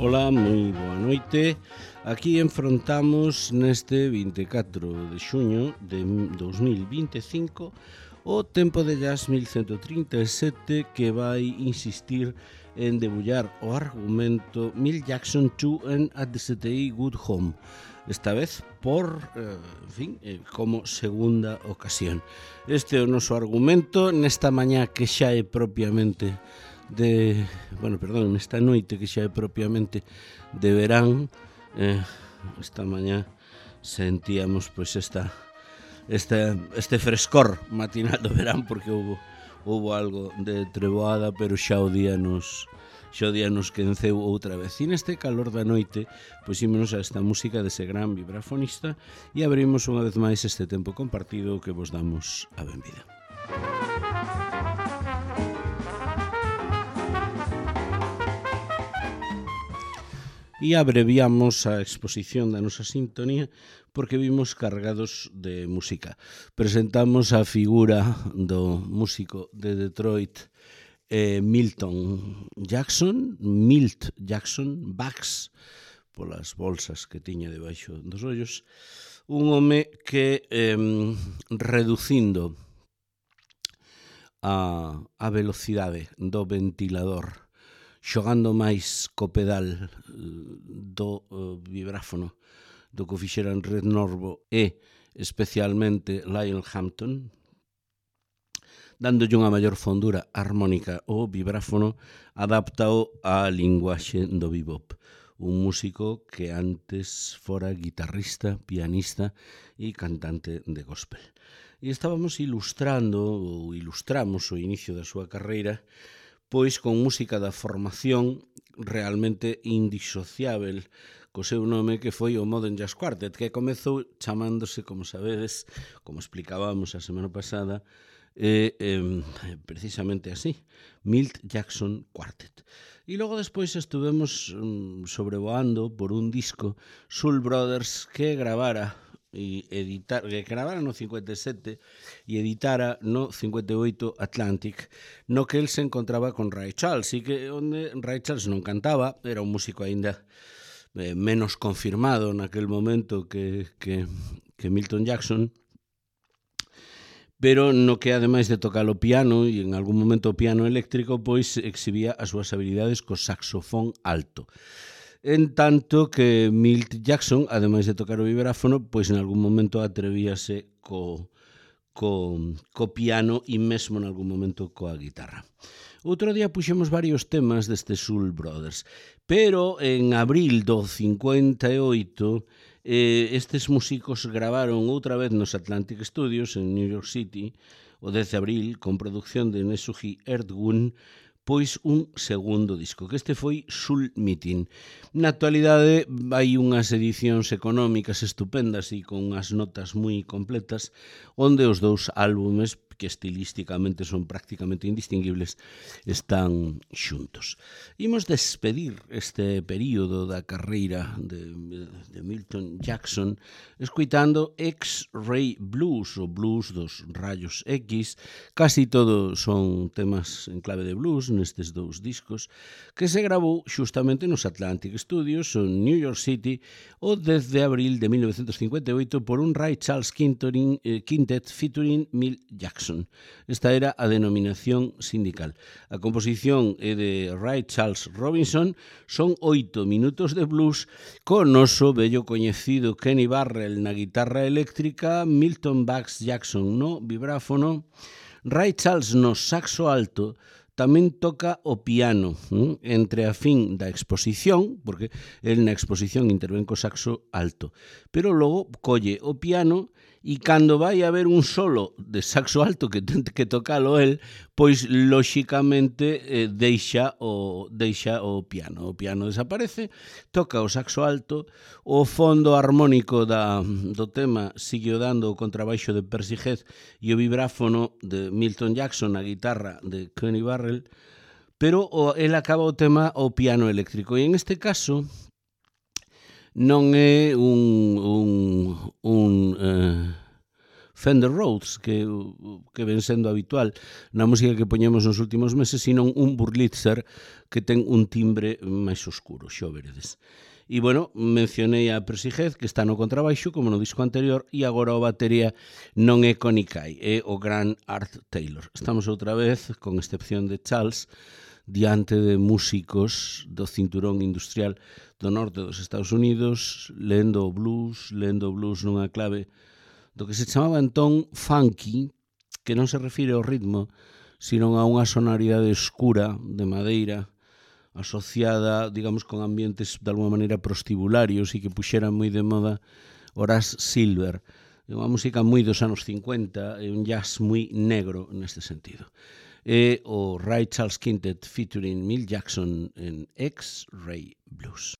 Ola, moi boa noite. Aquí enfrontamos neste 24 de xuño de 2025 o tempo de jazz 1137 que vai insistir en debullar o argumento Milt Jackson 2 and at the CTI Good Home. Esta vez por, como segunda ocasión. Este é o noso argumento nesta mañá que xa é propiamente nesta noite que xa é propiamente de verán. Esta mañá sentíamos pois este frescor matinal do verán porque houbo algo de treboada, pero xa o día nos quenceu outra vez. E neste calor da noite pois ímonos a esta música dese gran vibrafonista e abrimos unha vez máis este tempo compartido que vos damos a benvida. E abreviamos a exposición da nosa sintonía porque vimos cargados de música. Presentamos a figura do músico de Detroit, Milt Jackson, Bags, polas bolsas que tiña debaixo dos ollos, un home que reducindo a velocidade do ventilador, xogando máis co pedal do vibráfono do que fixeran Red Norvo e especialmente Lionel Hampton, dándolle unha maior fondura armónica ao vibráfono, adaptao á linguaxe do bebop. Un músico que antes fora guitarrista, pianista e cantante de gospel. E estábamos ilustramos o inicio da súa carreira pois con música da formación realmente indisociável co seu nome que foi o Modern Jazz Quartet, que comezou chamándose, como sabedes, como explicábamos a semana pasada, precisamente así, Milt Jackson Quartet. E logo despois estuvemos sobrevoando por un disco Soul Brothers que gravara no 57 e editara no 58 Atlantic, no que el se encontraba con Ray Charles, e que onde Ray Charles non cantaba, era un músico aínda menos confirmado naquel momento que Milton Jackson, pero no que ademais de tocar o piano e en algún momento o piano eléctrico, pois exhibía as súas habilidades co saxofón alto. En tanto que Milt Jackson, ademais de tocar o vibráfono, pois en algún momento atrevíase co piano e mesmo en algún momento coa guitarra. Outro día puxemos varios temas deste Soul Brothers, pero en abril do 58 estes músicos gravaron outra vez nos Atlantic Studios en New York City o 10 de abril con produción de Nesuhi Erdgun, pois un segundo disco, que este foi Soul Meeting. Na actualidade hai unhas edicións económicas estupendas e con unhas notas moi completas, onde os dous álbumes, que estilísticamente son prácticamente indistinguibles, están xuntos. Imos despedir este período da carreira de Milton Jackson escoitando X-Ray Blues, o blues dos rayos X. Casi todo son temas en clave de blues nestes dous discos, que se gravou xustamente nos Atlantic Studios en New York City o 10 de abril de 1958 por un Ray Charles Quintet featuring Milt Jackson. Esta era a denominación sindical. A composición é de Ray Charles Robinson, son 8 minutos de blues co noso vello coñecido Kenny Burrell na guitarra eléctrica, Milton Bags Jackson no vibráfono, Ray Charles no saxo alto. Tamén toca o piano entre a fin da exposición, porque el na exposición intervén co saxo alto, pero logo colle o piano e cando vai haber un solo de saxo alto que tente que tocalo el, pois lóxicamente deixa o piano. O piano desaparece, toca o saxo alto, o fondo armónico do tema sigue dando o contrabaixo de Percy Heath e o vibráfono de Milton Jackson, a guitarra de Kenny Burrell, pero el acaba o tema ao piano eléctrico. E en este caso non é un Fender Rhodes, que ven sendo habitual na música que poñemos nos últimos meses, sino un Wurlitzer que ten un timbre máis oscuro, xa o veredes. E, bueno, mencionei a Percy Heath, que está no contrabaixo, como no disco anterior, e agora o batería non é Connie Kay, é o gran Art Taylor. Estamos outra vez, con excepción de Charles, diante de músicos do cinturón industrial do norte dos Estados Unidos, lendo o blues nunha clave do que se chamaba entón funky, que non se refire ao ritmo, sino a unha sonoridade escura de madeira, asociada, digamos, con ambientes de alguma maneira prostibularios e que puxeran moi de moda Horace Silver. É unha música moi dos anos 50, é un jazz moi negro neste sentido. É o Ray Charles Quintet featuring Milt Jackson en X-Ray Blues.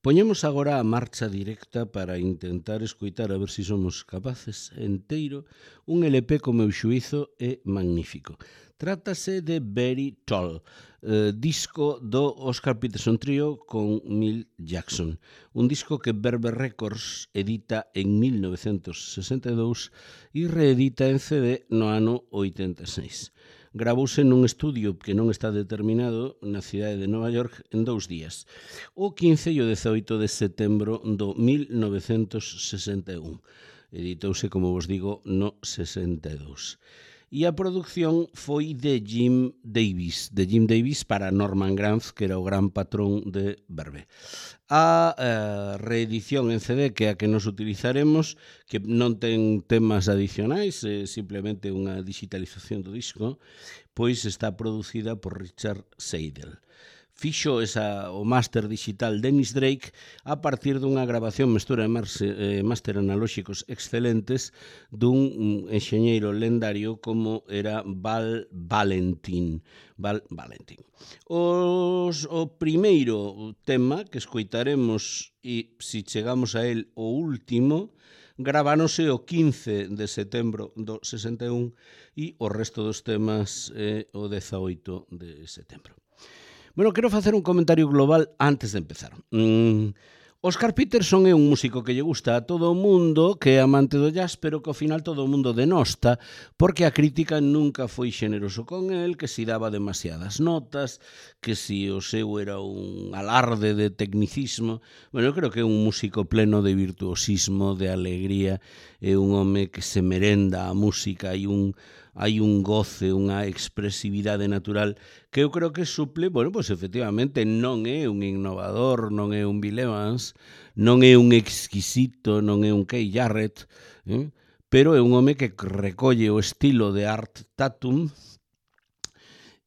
Poñemos agora a marcha directa para intentar escoitar a ver se somos capaces enteiro un LP co meu xuízo é magnífico. Trátase de Very Tall, disco do Oscar Peterson Trio con Milt Jackson. Un disco que Verve Records edita en 1962 e reedita en CD no ano 86. Gravouse nun estudio que non está determinado na cidade de Nova York en 2 días, o 15 e o 18 de setembro do 1961. Editouse, como vos digo, no 62. E a produción foi de Jim Davis para Norman Granz, que era o gran patrón de Verve. A reedición en CD, que é a que nos utilizaremos, que non ten temas adicionais, é simplemente unha digitalización do disco, pois está producida por Richard Seidel. Fixo o máster digital Dennis Drake a partir dunha grabación mestura e máster analóxicos excelentes dun enxeñeiro lendario como era Val Valentin. O primeiro tema que escoitaremos, e se chegamos a él o último, graváronse o 15 de setembro do 61 e o resto dos temas o 18 de setembro. Bueno, quero facer un comentario global antes de empezar. Oscar Peterson é un músico que lle gusta a todo o mundo, que é amante do jazz, pero que ao final todo o mundo denosta, porque a crítica nunca foi xeneroso con el, que si daba demasiadas notas, que si o seu era un alarde de tecnicismo. Bueno, eu creo que é un músico pleno de virtuosismo, de alegría, é un home que se merenda a música, hai un goce, unha expresividade natural que eu creo que suple, bueno, pois efectivamente non é un innovador, non é un Bill Evans, non é un exquisito, non é un Keith Jarrett, pero é un home que recolle o estilo de Art Tatum,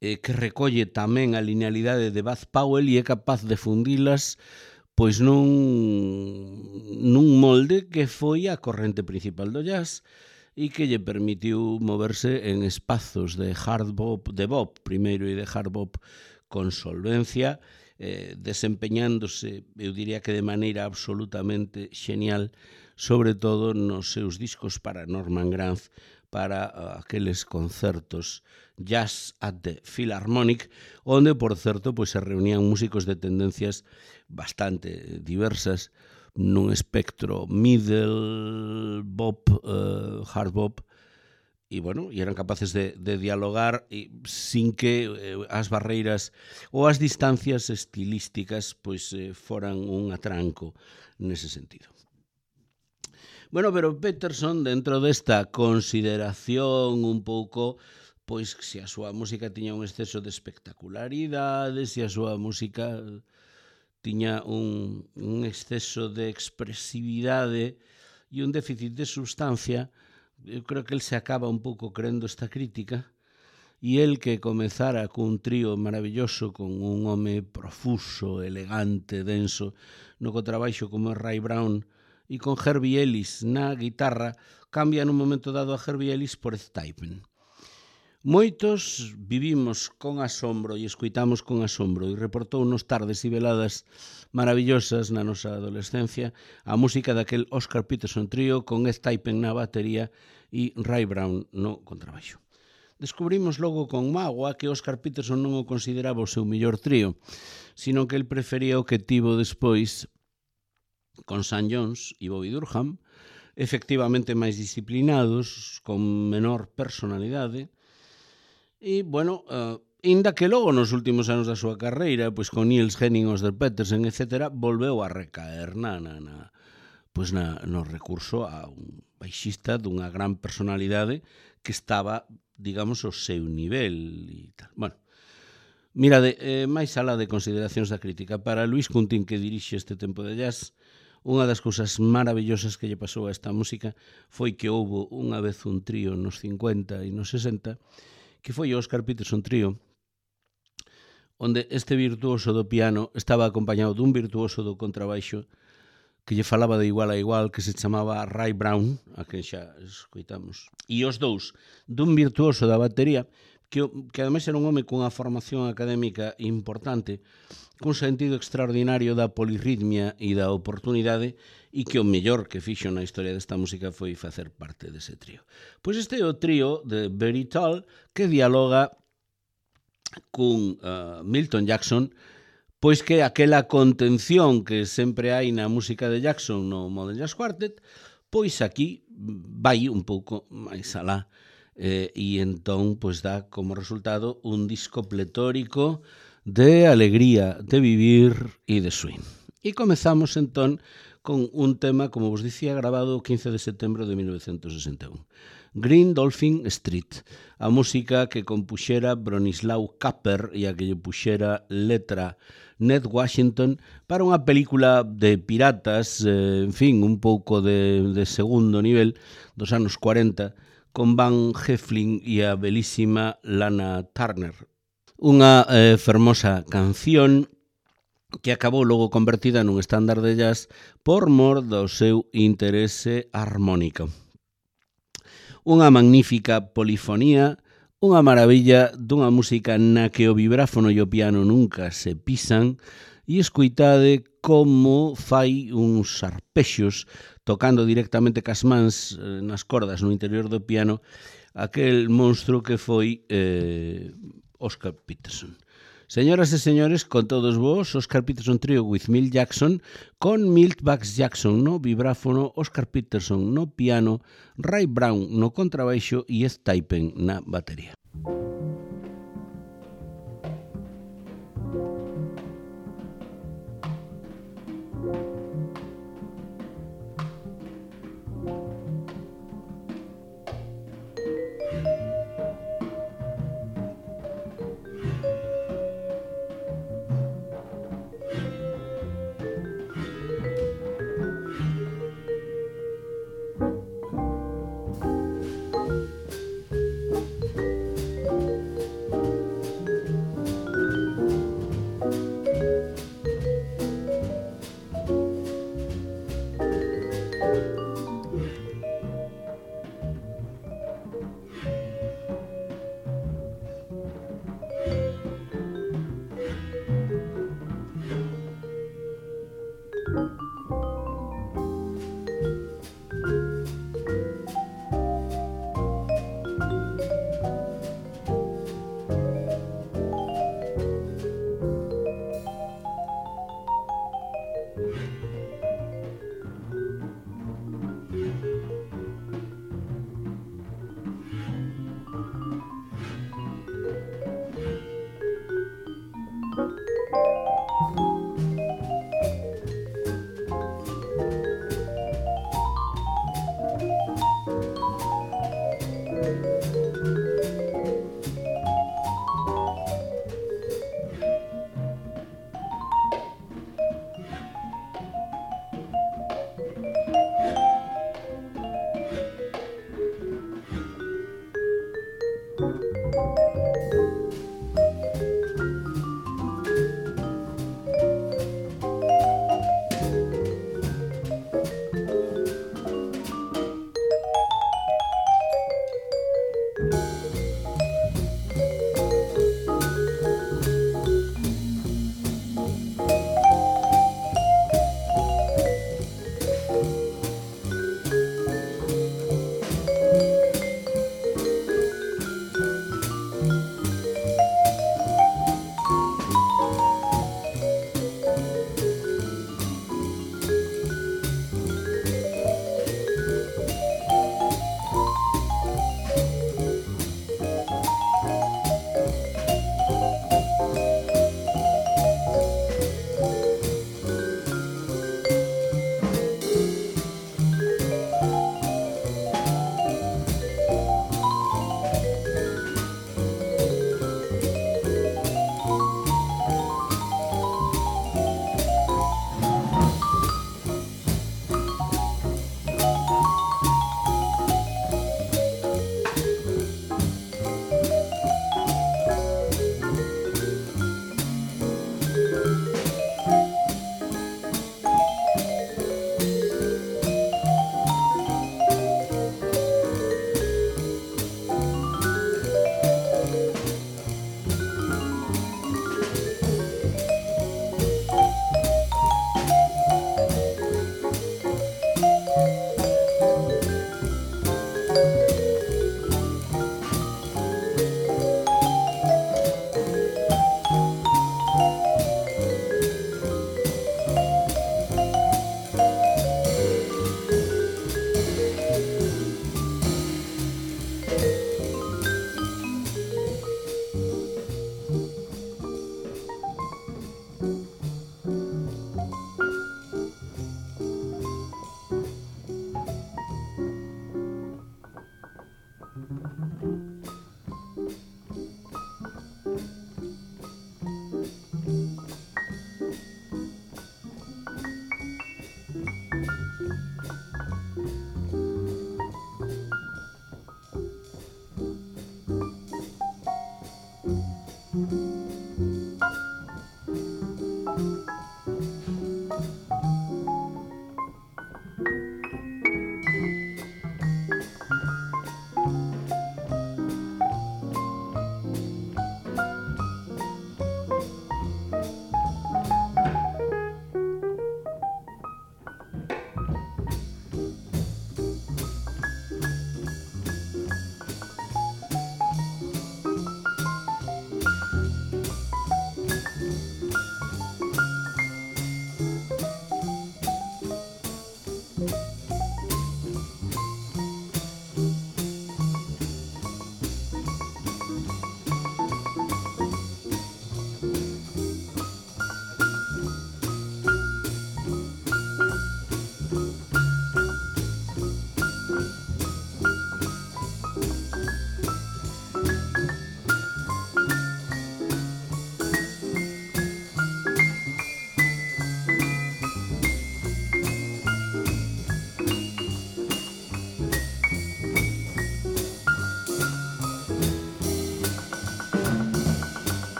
que recolle tamén a linealidade de Bud Powell e é capaz de fundilas pois nun molde que foi a corrente principal do jazz e que lle permitiu moverse en espazos de hard bop, de bop primeiro e de hard bop con solvencia, desempeñándose, eu diría que de maneira absolutamente xenial, sobre todo nos seus discos para Norman Granz, para aqueles concertos Jazz at the Philharmonic, onde, por certo, pois se reunían músicos de tendencias bastante diversas, nun espectro middle bop, hard bop, e bueno, e eran capaces de dialogar sin que as barreiras ou as distancias estilísticas pois foran un atranco nese sentido. Bueno, pero Peterson, dentro desta consideración un pouco, pois se a súa música tiña un exceso de espectacularidade, se a súa música tiña un exceso de expresividade e un déficit de substancia, eu creo que el se acaba un pouco creendo esta crítica, e el que comezara cun trío maravilloso con un home profuso, elegante, denso, no contrabaixo como é Ray Brown, e con Herbie Ellis na guitarra, cambia nun momento dado a Herbie Ellis por Ed Typen. Moitos vivimos con asombro e escoitamos con asombro e reportounos tardes e veladas maravillosas na nosa adolescencia a música daquel Oscar Peterson Trio con Ed Typen na batería e Ray Brown no contrabaixo. Descubrimos logo con mágoa que Oscar Peterson non o consideraba o seu mellor trío, sino que el prefería o que tivo despois con Sam Jones e Bobby Durham, efectivamente máis disciplinados, con menor personalidade. E, bueno, inda que logo nos últimos anos da súa carreira, pois con Niels Henning, Oscar Peterson, etc., volveu a recaer no recurso a un baixista dunha gran personalidade que estaba, digamos, ao seu nivel e tal. Bueno, mirade, máis alá de consideracións da crítica, para Luis Cuntín, que dirixe este tempo de jazz, Unha das cousas maravillosas que lle pasou a esta música foi que houbo unha vez un trío nos 50 e nos 60, que foi o Oscar Peterson Trío, onde este virtuoso do piano estaba acompañado dun virtuoso do contrabaixo que lle falaba de igual a igual, que se chamaba Ray Brown, a que xa escoitamos. E os dous, dun virtuoso da batería, que ademais era un home cunha formación académica importante, cun sentido extraordinario da polirritmia e da oportunidade, e que o mellor que fixo na historia desta música foi facer parte dese trío. Pois este é o trío de Very Tall, que dialoga cun Milton Jackson, pois que aquela contención que sempre hai na música de Jackson no Modern Jazz Quartet, pois aquí vai un pouco máis alá, e entón pois dá como resultado un disco pletórico de alegría, de vivir e de swing. E comezamos entón con un tema, como vos dicía, grabado o 15 de setembro de 1961. Green Dolphin Street, a música que compuxera Bronislaw Kapper e a que lle puxera letra Ned Washington para unha película de piratas, en fin, un pouco de segundo nivel dos anos 40, con Van Heflin e a belísima Lana Turner. Unha fermosa canción que acabou logo convertida nun estándar de jazz por mor do seu interese armónico. Unha magnífica polifonía, unha maravilla dunha música na que o vibráfono e o piano nunca se pisan, e escoitade como fai uns arpexos tocando directamente cas mans nas cordas no interior do piano aquel monstro que foi Oscar Peterson. Señoras e señores, con todos vos, Oscar Peterson Trio with Milt Jackson, con Milt Bugs Jackson no vibráfono, Oscar Peterson no piano, Ray Brown no contrabaixo e Ed Taipen na batería.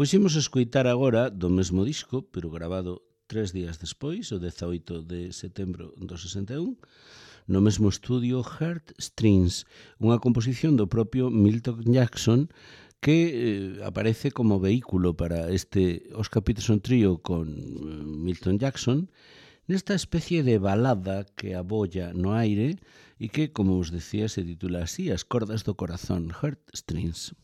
Pois imos escoitar agora do mesmo disco, pero grabado 3 días despois, o 18 de setembro do 61, no mesmo estudio Heartstrings, unha composición do propio Milton Jackson que aparece como vehículo para este Oscar Peterson Trio con Milton Jackson, nesta especie de balada que abolla no aire e que, como os decía, se titula así, As cordas do corazón, Heartstrings.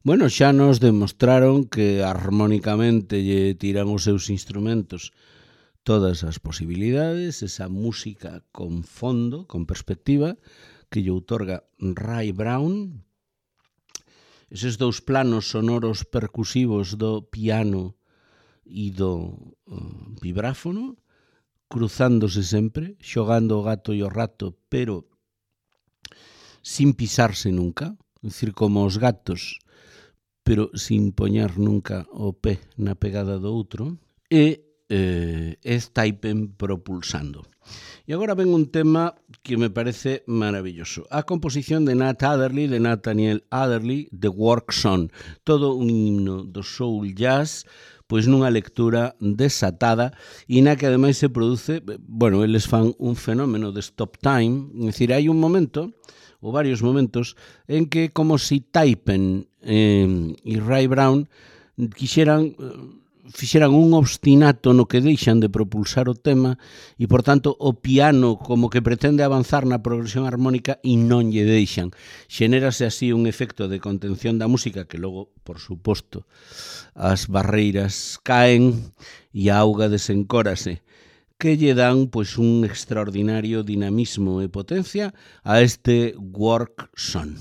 Bueno, xa nos demostraron que armónicamente lle tiran os seus instrumentos todas as posibilidades, esa música con fondo, con perspectiva, que lle outorga Ray Brown, eses dous planos sonoros percusivos do piano e do vibráfono, cruzándose sempre, xogando o gato e o rato, pero sin pisarse nunca, é dicir, como os gatos, pero sin poñer nunca o pé na pegada do outro, e Steipen propulsando. E agora ven un tema que me parece maravilloso. A composición de Nat Adderley, de Nathaniel Adderley, The Work Song. Todo un himno do soul jazz, pois nunha lectura desatada e na que ademais se produce, bueno, eles fan un fenómeno de stop time, é dicir, hai un momento, ou varios momentos, en que como si Steipen e Ray Brown fixeran un obstinato no que deixan de propulsar o tema e, por tanto, o piano como que pretende avanzar na progresión armónica e non lle deixan. Xenérase así un efecto de contención da música que logo, por suposto, as barreiras caen e a auga desencórase, que lle dan pois un extraordinario dinamismo e potencia a este Work Song.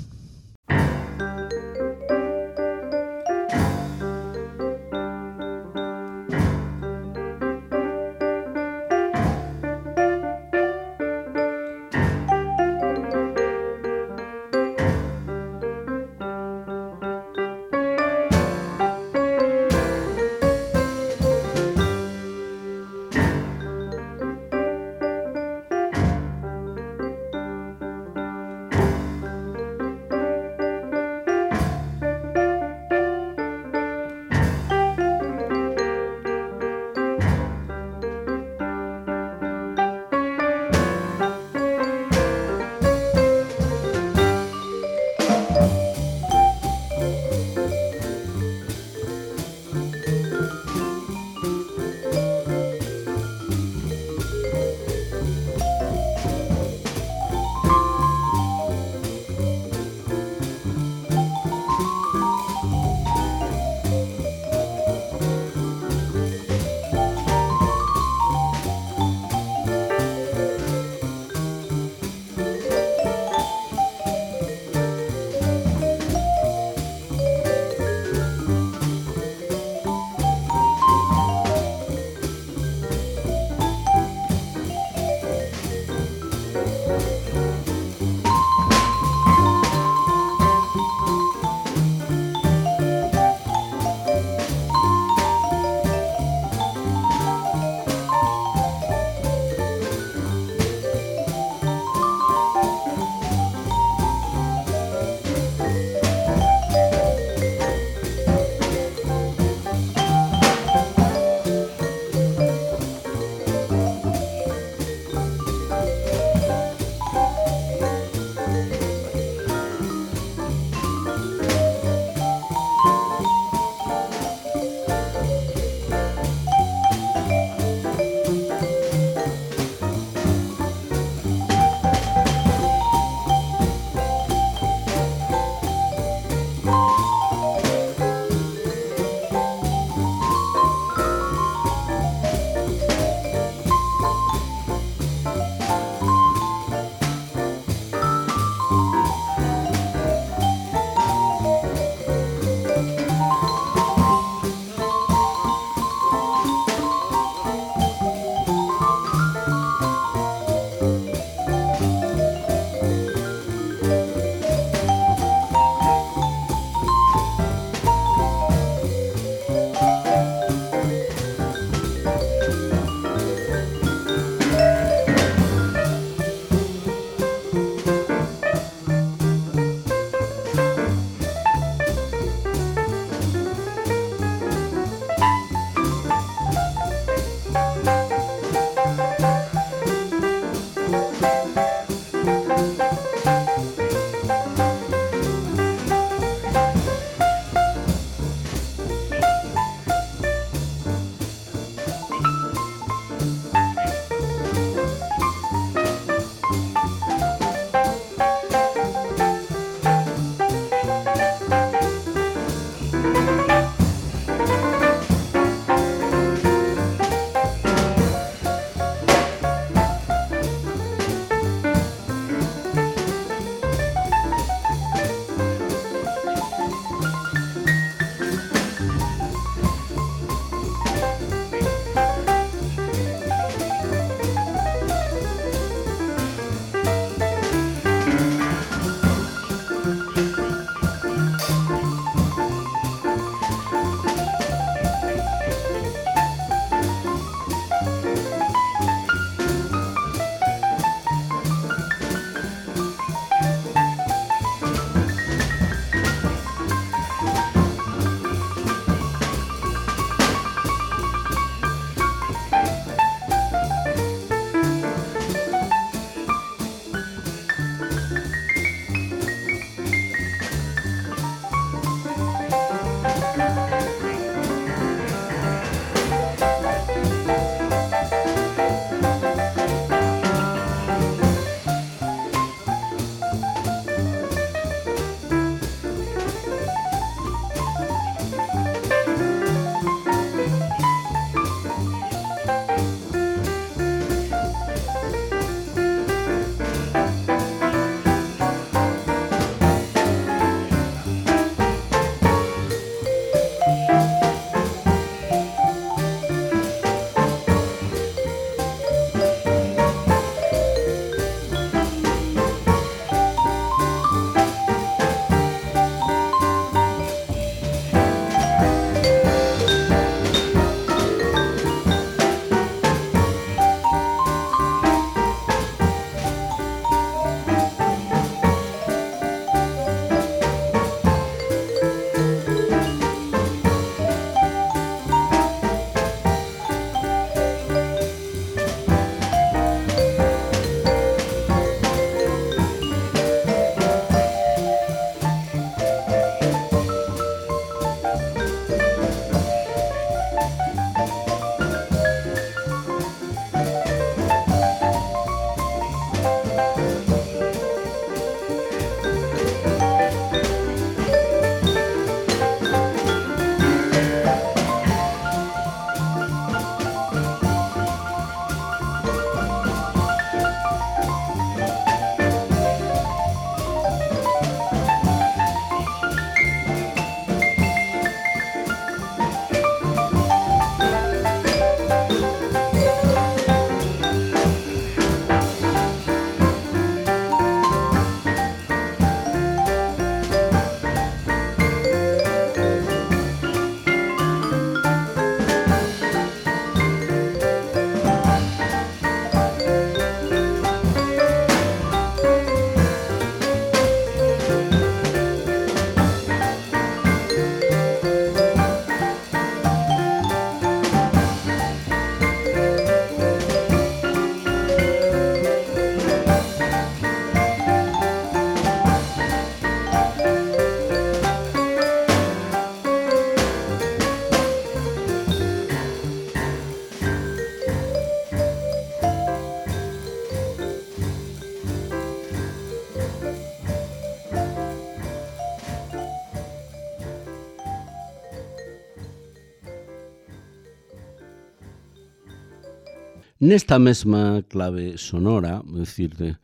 Nesta mesma clave sonora, é dicir,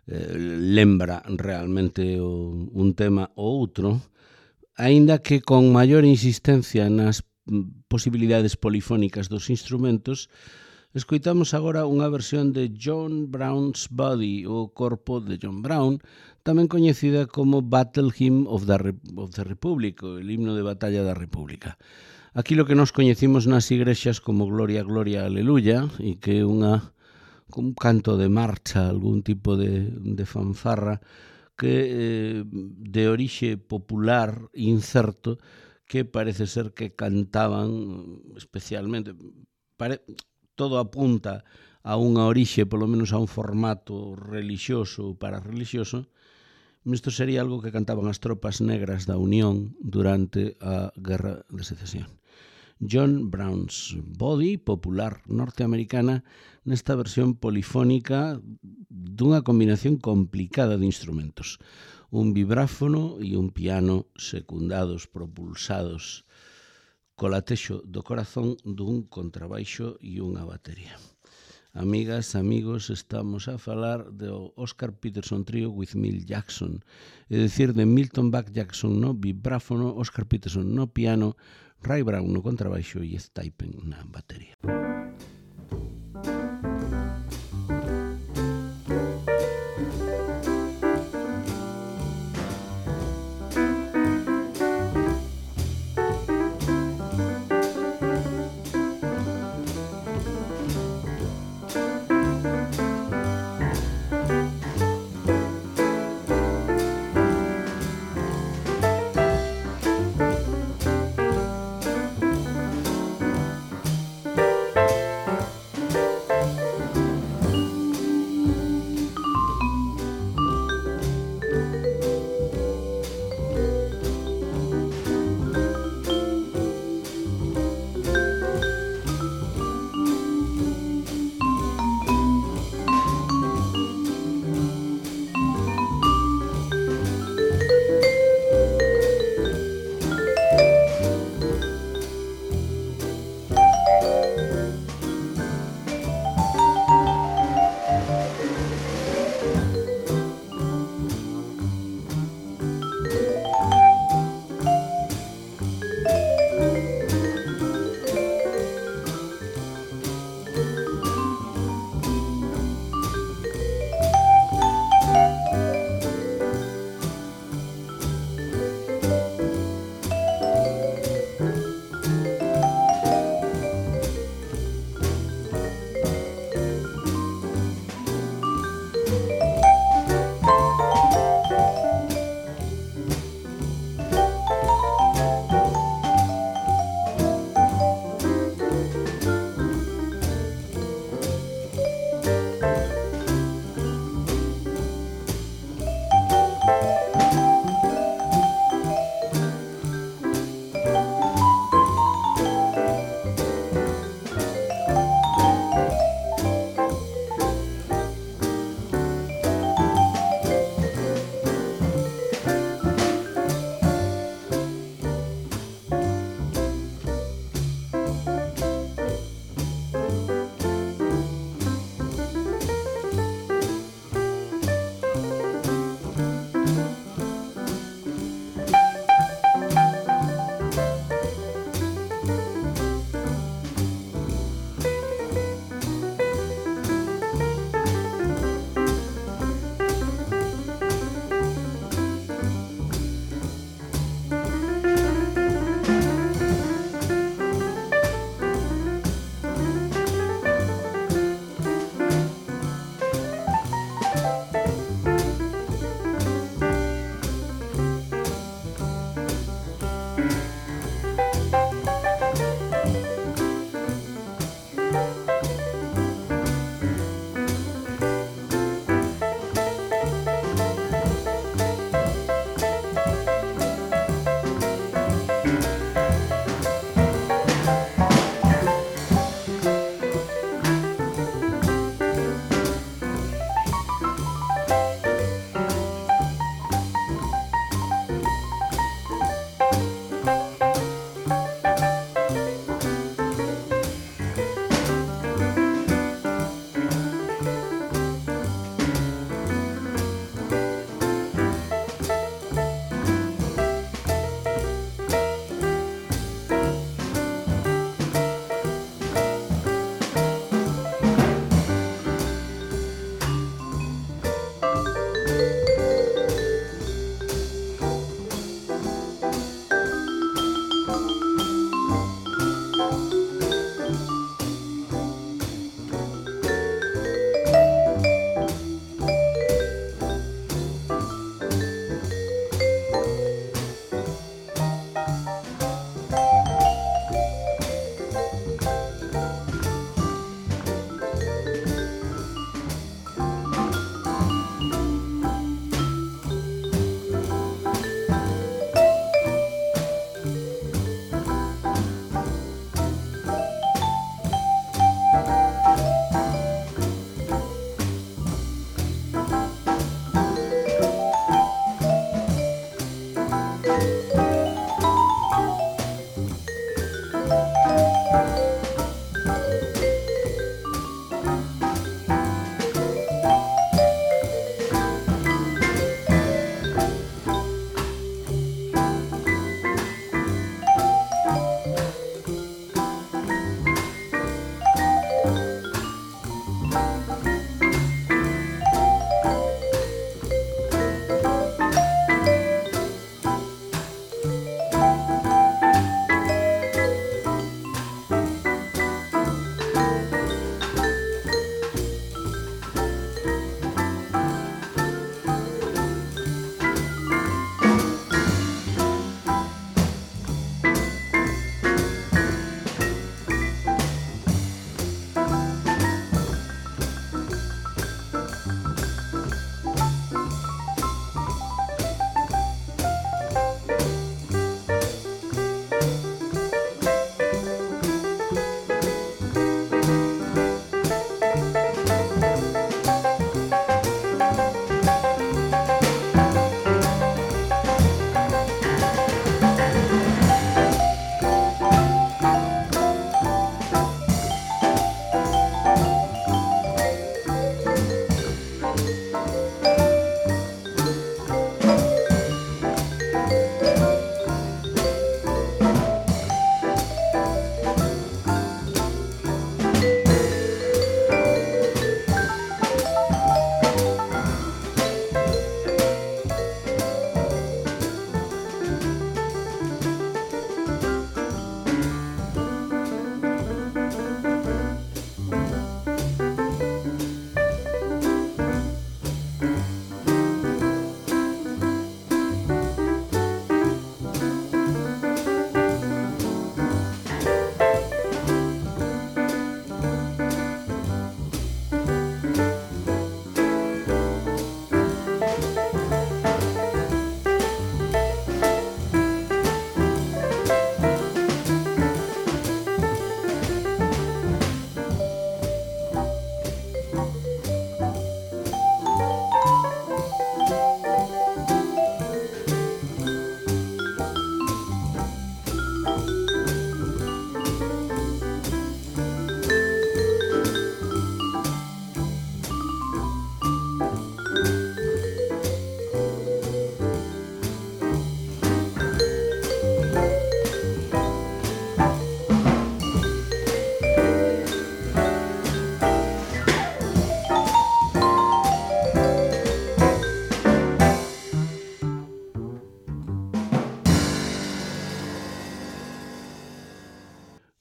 lembra realmente un tema ou outro, aínda que con maior insistencia nas posibilidades polifónicas dos instrumentos, escoitamos agora unha versión de John Brown's Body, o corpo de John Brown, tamén coñecida como Battle Hymn of the Republic, o el himno de batalla da República. Aquilo que nos coñecimos nas igrexas como Gloria, Gloria, Aleluya, e que é un canto de marcha, algún tipo de fanfarra, que de orixe popular incerto, que parece ser que cantaban especialmente, todo apunta a unha orixe, polo menos a un formato relixioso ou pararrelixioso. Isto sería algo que cantaban as tropas negras da Unión durante a Guerra de Secesión. John Brown's Body, popular norteamericana, nesta versión polifónica dunha combinación complicada de instrumentos. Un vibráfono e un piano secundados, propulsados co latexo do corazón dun contrabaixo e unha batería. Amigas, amigos, estamos a falar do Oscar Peterson Trio with Milt Jackson, é dicir, de Milton Buck Jackson no vibráfono, Oscar Peterson no piano, Ray Brown no contrabaixo e Stipin na batería.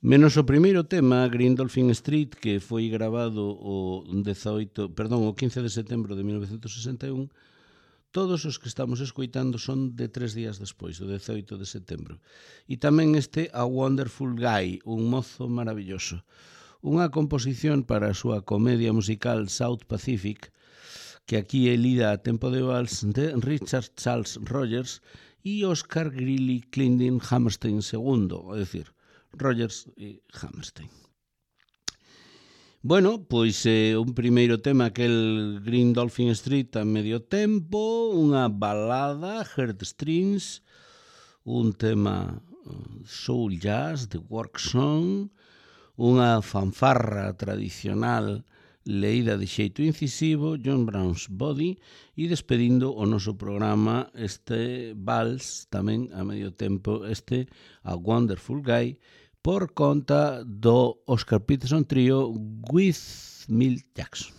Menos o primeiro tema, Green Dolphin Street, que foi grabado o 15 de setembro de 1961, todos os que estamos escoitando son de 3 días despois, o 18 de setembro. E tamén este A Wonderful Guy, un mozo maravilloso. Unha composición para a súa comedia musical South Pacific, que aquí é lida a tempo de vals de Richard Charles Rogers e Oscar Greeley Clendon Hammerstein II, é dicir, Rogers e Hammerstein. Bueno, pois un primeiro tema, aquel Green Dolphin Street a medio tempo, unha balada, Heartstrings, un tema soul jazz, de work song, unha fanfarra tradicional leída de xeito incisivo, John Brown's Body, e despedindo o noso programa este vals tamén a medio tempo, este A Wonderful Guy, por conta do Oscar Peterson Trio with Milt Jackson.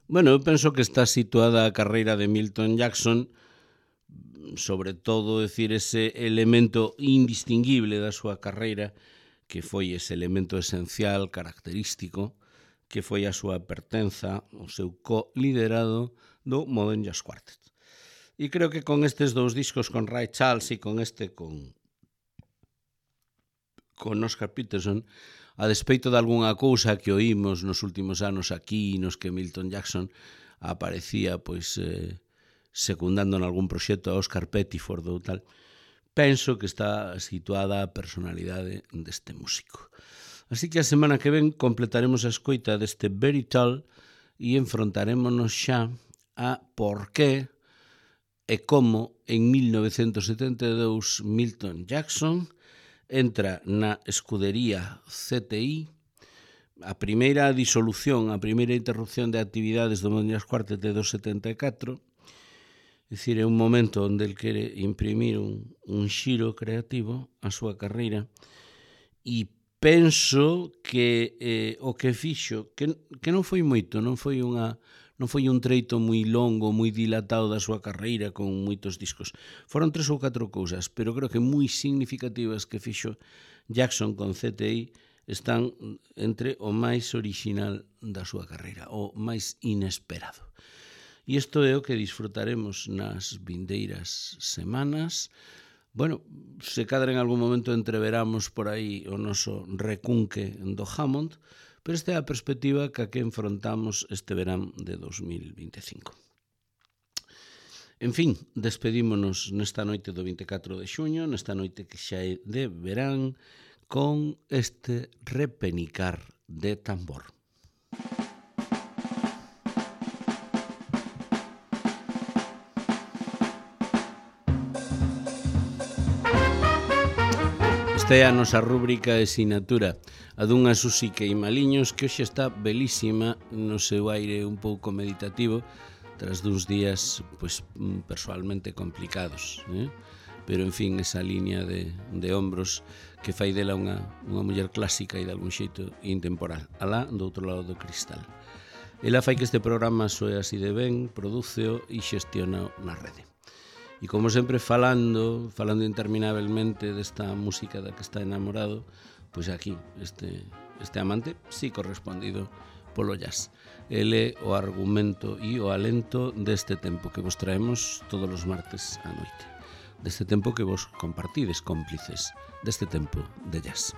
Bueno, eu penso que está situada a carreira de Milton Jackson, sobre todo, decir, ese elemento indistinguible da súa carreira, que foi ese elemento esencial, característico, que foi a súa pertenza, o seu co-liderado do Modern Jazz Quartet. E creo que con estes dous discos, con Ray Charles e con Oscar Peterson, a despeito de algunha cousa que oímos nos últimos anos aquí, nos que Milton Jackson aparecía secundando en algún proxecto a Oscar Pettiford ou tal, penso que está situada a personalidade deste músico. Así que a semana que ven completaremos a escoita deste Very Tall e enfrontarémonos xa a por qué e como en 1972 Milton Jackson entra na escudería CTI, a primeira disolución, a primeira interrupción de actividades do Modern Jazz Quartet de 274, é dicir, é un momento onde el quere imprimir un xiro creativo á súa carreira, e penso que o que fixo, que non foi moito, non foi un treito moi longo, moi dilatado da súa carreira con moitos discos. Foron 3 ou 4 cousas, pero creo que moi significativas que fixo Jackson con CTI están entre o máis orixinal da súa carreira, o máis inesperado. E isto é o que disfrutaremos nas vindeiras semanas. Bueno, se cadra en algún momento entreveramos por aí o noso recunque do Hammond, pero esta é a perspectiva que enfrontamos este verán de 2025. En fin, despedímonos nesta noite do 24 de xuño, nesta noite que xa é de verán, con este repenicar de tambor. Esta é a nosa rúbrica de sinatura, a dunha Susi Queimaliños, que hoxe está belísima no seu aire un pouco meditativo, tras duns días, persoalmente complicados, pero, en fin, esa liña de ombros que fai dela unha muller clásica e de algún xeito intemporal, alá do outro lado do cristal. Ela fai que este programa soe así de ben, prodúceo e xestiona na rede. E como sempre falando interminablemente desta música da que está enamorado, pois aquí, este amante, sí correspondido polo jazz. Ele o argumento e o alento deste tempo que vos traemos todos os martes á noite. Deste tempo que vos compartides cómplices deste tempo de jazz.